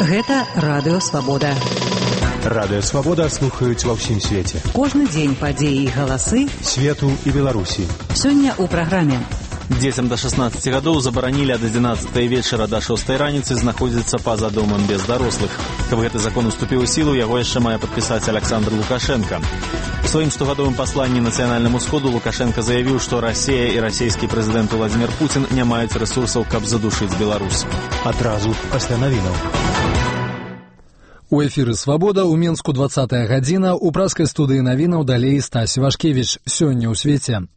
Гэта Радыё Свабода. Радыё Свабода слухаюць ва ўсім свеце. Кожны дзень падзеі і галасы свету і Беларусі. Сёння ў праграме. Дзецям да 16 гадоў забаранілі ад 11 вечара да 6 раніцы знаходзіцца па-за домам без дарослых. Каб гэты закон уступіў у сілу, яго яшчэ мае падпісаць Александр Лукашенко. У сваім штогадовым пасланні нацыянальнаму сходу Лукашенко заявіў, што Расія і расійскі прэзідэнт Владзімір Пуцін не маюць рэсурсаў, каб задушыць Беларусь. Адразу пасля навінаў. У эфіры «Свабода» ў Менску 20-я гадзіна, у праскай студыі навінаў далей Стась Вашкевіч. Сёння ў свеце.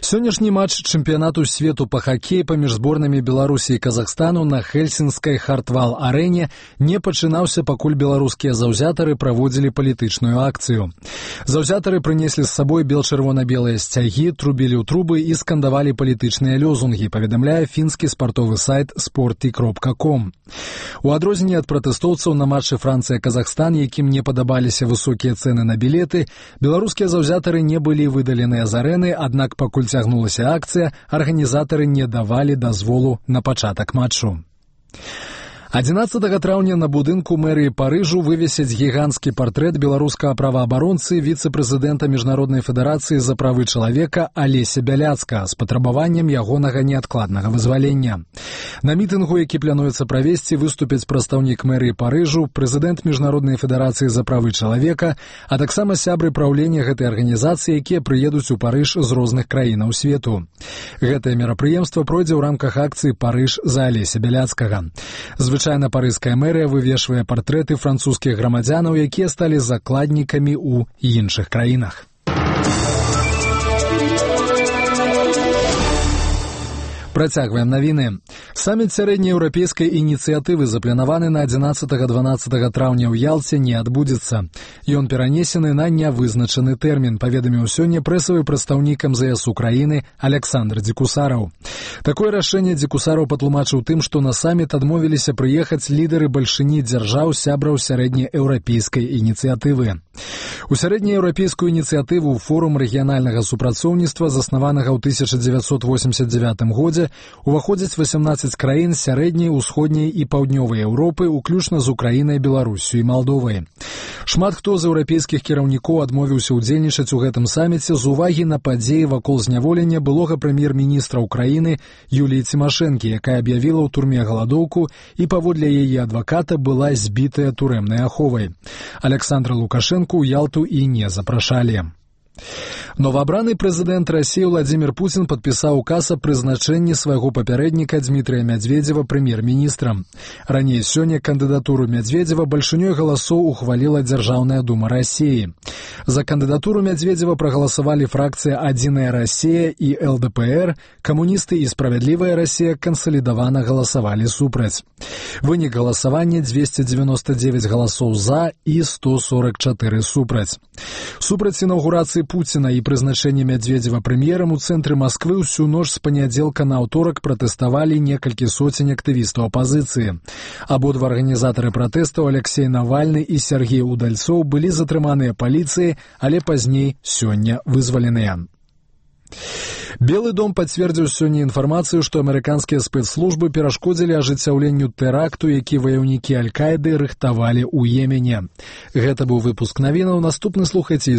Сённяшні матч чэмпіянату свету па хакеі паміж зборнамі Беларусі і Казахстану на Хельсінскай Хартвал-арэне не пачынаўся, пакуль беларускія заўзятары праводзілі палітычную акцыю. Заўзятары прынеслі з сабой бел-чырвона-белыя сцягі, трубілі ў трубы і скандавалі палітычныя лёзунгі, паведамляе фінскі спартовы сайт sporty.com. У адрозненне ад пратэстоўцаў на матчы Францыя-Казахстан, якім не падабаліся высокія цэны на білеты, беларускія заўзятары не былі выдаленыя з арэны, аднак пакуль цягнулася акцыя, арганізатары не давалі дазволу на пачатак матчу. 11 траўня на будынку мэрыі Парыжу вывесяць гіганцкі партрэт беларускага праваабаронцы, віцэ-прэзідэнта Міжнароднай федэрацыі за правы чалавека Алеся Бяляцкага з патрабаваннем ягонага неадкладнага вызвалення. На мітынгу, які плануецца правесці, выступяць прадстаўнік мэрыі Парыжу, прэзідэнт Міжнароднай федэрацыі за правы чалавека, а таксама сябры праўлення гэтай арганізацыі, якія прыедуць у Парыж з розных краінаў свету. Гэтае мерапрыемства пройдзе ў рамках акцыі «Парыж за Алеся Бяляцкага». Звычайна парыжская мэрыя вывешвае партрэты французскіх грамадзянаў, якія сталі закладнікамі ў іншых краінах. Працягваем навіны. Саміт сярэднееўрапейскай ініцыятывы запланаваны на 11-12 траўня ў Ялце не адбудзецца. Ён перанесены на нявызначаны тэрмін, паведаміў сёння прэсавы прадстаўнік МЗС Украіны Александр Дзекусараў. Такое рашэнне Дзекусараў патлумачыў тым, што на саміт адмовіліся прыехаць лідары бальшыні дзяржаў сябраў сярэднееўрапейскай ініцыятывы. У сярэднееўрапейскую ініцыятыву форум рэгіянальнага супрацоўніцтва, заснаванага ў 1989 годзе, уваходзяць 18 краін сярэдняй, усходняй і паўднёвай Еўропы, уключна з Украінай, Беларуссю і Малдовай. Шмат хто з еўрапейскіх кіраўнікоў адмовіўся ўдзельнічаць у гэтым саміце з увагі на падзеі вакол зняволення былога прэм'ер-міністра Украіны Юліі Цімашэнкі, якая аб'явіла ў турме галадоўку і паводле яе адваката была збітая турэмнай аховай. Александра Лукашэнку ў Ялту і не запрашалі. Новаабраны прэзідэнт Расіі Владзімір Пуцін падпісаў указ аб прызначэнні свайго папярэдніка Дмітрыя Мядзведзева прэм'ер-міністрам. Раней сёння кандыдатуру Мядзведзева бальшынёй галасоў ухваліла Дзяржаўная дума Расіі. За кандыдатуру Мядзведзева прагаласавалі фракцыя «Адзіная Расія» і ЛДПР, камуністы і «Справядлівая Расія» кансалідавана галасавалі супраць. Вынік галасавання 299 галасоў за і 144 супраць. Супраць інаўгурацыі Пуціна і прызначэння Мядзведзева прэм'ерам у цэнтры Масквы ўсю ноч з панядзелка на аўторак пратэставалі некалькі соцень актывістаў апазіцыі. Абодва арганізатары пратэстаў Алексей Навальны і Сергей Удальцоў былі затрыманыя паліцыяй, але пазней сёння вызваленыя. Белы дом пацвердзіў сёння інфармацыю, што амерыканскія спецслужбы перашкодзілі ажыццяўленню тэракту, які ваяўнікі Аль-Каіды рыхтавалі ў Йемене. Гэта быў выпуск навінаў. Наступны слухайце